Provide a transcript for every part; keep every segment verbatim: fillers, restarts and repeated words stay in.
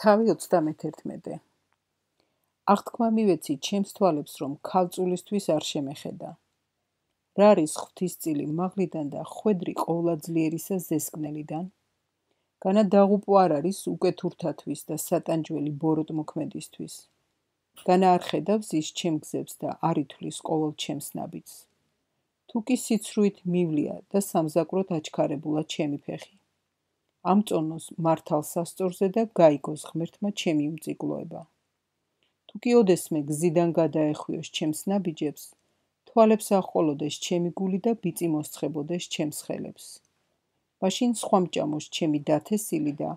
თავი ოცდამეთერთმეტე. აღთქმა მივეცი ჩემს თვალებს, რომ ქალწულისთვის არ შემეხედა. რა არის ღვთისწილი მაღლიდან და ხვედრი ყოვლადძლიერისა ზესკნელიდან? განა დაღუპვა არ არის უკეთურთათვის და სატანჯველი ბოროტმოქმედისთვის. განა არ ხედავს ის ჩემ გზებს და არ ითვლის ყოველ ჩემს ნაბიჯს. თუ კი სიცრუით მივლია და სამზაკვროდ აჩქარებულა ჩემი ფეხი. ამწონოს მართალ სასწორზე და გაიგოს ღმერთმა ჩემი უმწიგლოება. თუ კი ოდესმე გზიდან გადაეხვიოს ჩემს ნაბიჯებს, თვალებს აჰყოლოდეს ჩემი გული და ბიწი მოსცხებოდეს ჩემს ხელებს. მაშინ სხვა მჭამოს ჩემი დათესილი და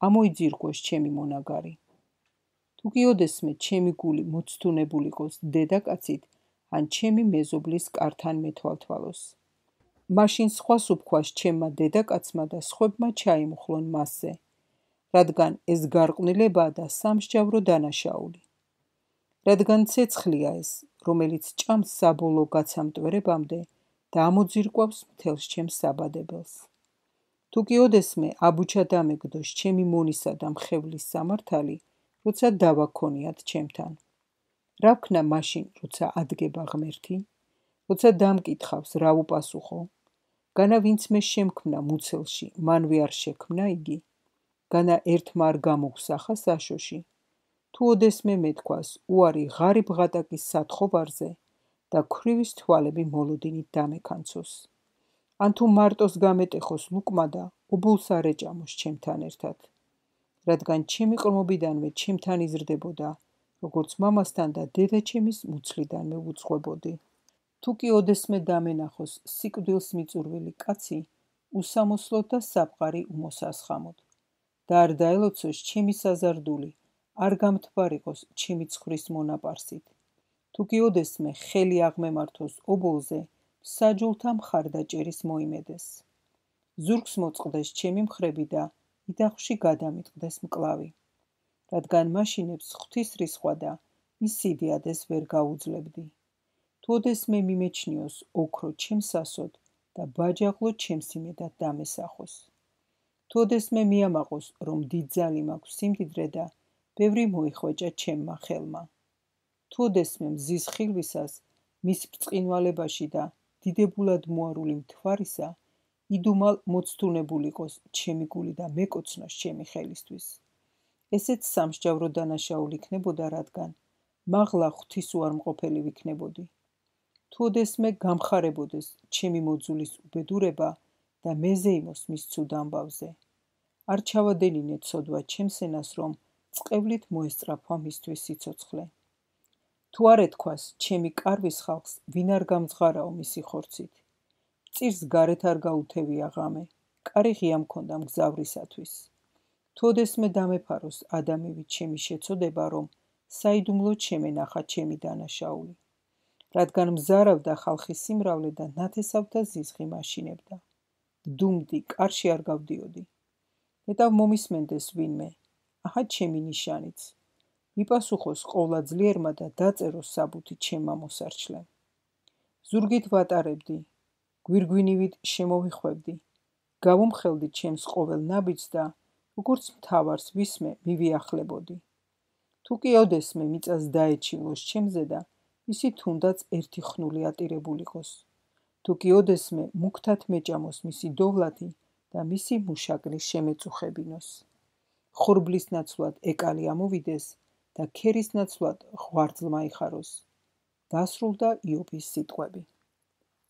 ამოიძირგვოს ჩემი მონაგარი. თუ კი ოდესმე ჩემი გული მოცდუნებულიყოს დედაკაცით, ან ჩემი მეზობლის კართან მეთვალთვალოს. მაშინ სხვას უფქვას ჩემმა დედაკაცმა და სხვებმა ჩაიმხლონ მასზე, რადგან ეს გარყვნილებაა და სამსჯავრო დანაშაული. რადგან ცეცხლია ეს, რომელიც ჭამს საბოლოო გაცამტვერებამდე და ამოძირკვავს მთელს ჩემს საბადებელს. თუ კი ოდესმე აბუჩა დამეგდოს ჩემი მონისა და მხევლის სამართალი, როცა დავა ქონიათ ჩემთან. რა ვქნა მაშინ, როცა ადგება ღმერთი? როცა დამკითხავს, რა ვუპასუხო? განა ვინც მე შემქმნა მუცელში, მანვე არ შექმნა იგი? განა ერთმა არ გამოგსახა საშოში? თუ ოდესმე მეთქვას, უარი ღარიბ ღატაკის სათხოვარზე და ქვრივის თვალები მოლოდინით დამეკანცოს. ან თუ მარტოს გამეტეხოს ლუკმა და ობოლს არ ეჭამოს ჩემთან ერთად. რადგან ჩემი ყრმობიდანვე ჩემთან იზრდებოდა, როგორც მამასთან და დედაჩემის მუცლიდანვე ვუძღვებოდი. თუ კი ოდესმე დამენახოს სიკვდილს მიწურვილი კაცი, უსამოსლოდ და საფყარი უმოსასხამოდ. და არ დაელოცოს ჩემი საზარდული, არ გამთბარიყოს ჩემი ცხვრის მონაპარსით. თუ კი ოდესმე ხელი აღმემართოს ობოლზე, საჯულთა მხარდაჭერის მოიმედეს. ზურგს მოწყდეს ჩემი მხრები და იდახში გადამიტყდეს მკლავი. რადგან მაშინებს ღვთის რისხვა და ის სიდიადეს ვერ გაუძლებდი. თუ ოდესმე მიმეჩნიოს ოქრო ჩემსასოდ და ბაჯაღლო ჩემს იმედად დამესახოს. თუ ოდესმე მიამაყოს, რომ დიდძალი მაქვს სიმდიდრე და ბევრი მოიხვეჭა ჩემმა ხელმა. თუ ოდესმე მზის ხილვისას მის ბრწყინვალებაში და დიდებულად მოარული მთვარისა, იდუმალ მოცდუნებულიყოს ჩემი გული და მეკოცნოს ჩემი ხელისთვის. ესეც სამსჯავრო დანაშაული იქნებოდა, რადგან მაღლა ღვთის უარმყოფელი ვიქნებოდი. თუ ოდესმე გამხარებოდეს ჩემი მოძულის უბედურება და მეზეიმოს მის ცუდ ამბავზე. არ ჩავადენინე ცოდვა ჩემს ენას, რომ წყევლით მოესწრაფვა მისთვის სიცოცხლე. თუ არ ეთქვას ჩემი კარვის ხალხს, ვინ არ გამძღარაო მისი ხორცით. წირს გარეთ არ გაუთევია ღამე, კარი ღია მქონდა მგზავრისათვის. თუ ოდესმე დამეფაროს ადამიანით ჩემი შეწოდება, რომ საიდუმლოდ შემენახა ჩემი დანაშაული. რადგან მზარავდა ხალხის სიმრავლე და ნათესავთა ზიზღი მაშინებდა. დუმდი, კარში არ გავდიოდი. მეტავ მომისმენდეს ვინმე, აჰა ჩემი ნიშანიც. მიპასუხოს ყოვლადძლიერმა და დაწეროს საბუთი ჩემმა მოსარჩლემ. ზურგით ვატარებდი, გვირგვინივით შემოვიხვევდი, გავუმხელდი ჩემს ყოველ ნაბიჯს და როგორც მთავარს ვისმე მივიახლებოდი. თუ კი ოდესმე მიწას დაეჩივლოს ჩემზე და ისი თუნდაც ერთი ხნული ატირებულიყოს. თუ კი ოდესმე მუქთად მეჭამოს მისი დოვლათი და მისი მუშაკრი შემეწუხებინოს. ხორბლის ნაცვლად ეკალი ამოვიდეს და ქერის ნაცვლად ღვარძლმა იხაროს. დასრულდა იობის სიტყვები.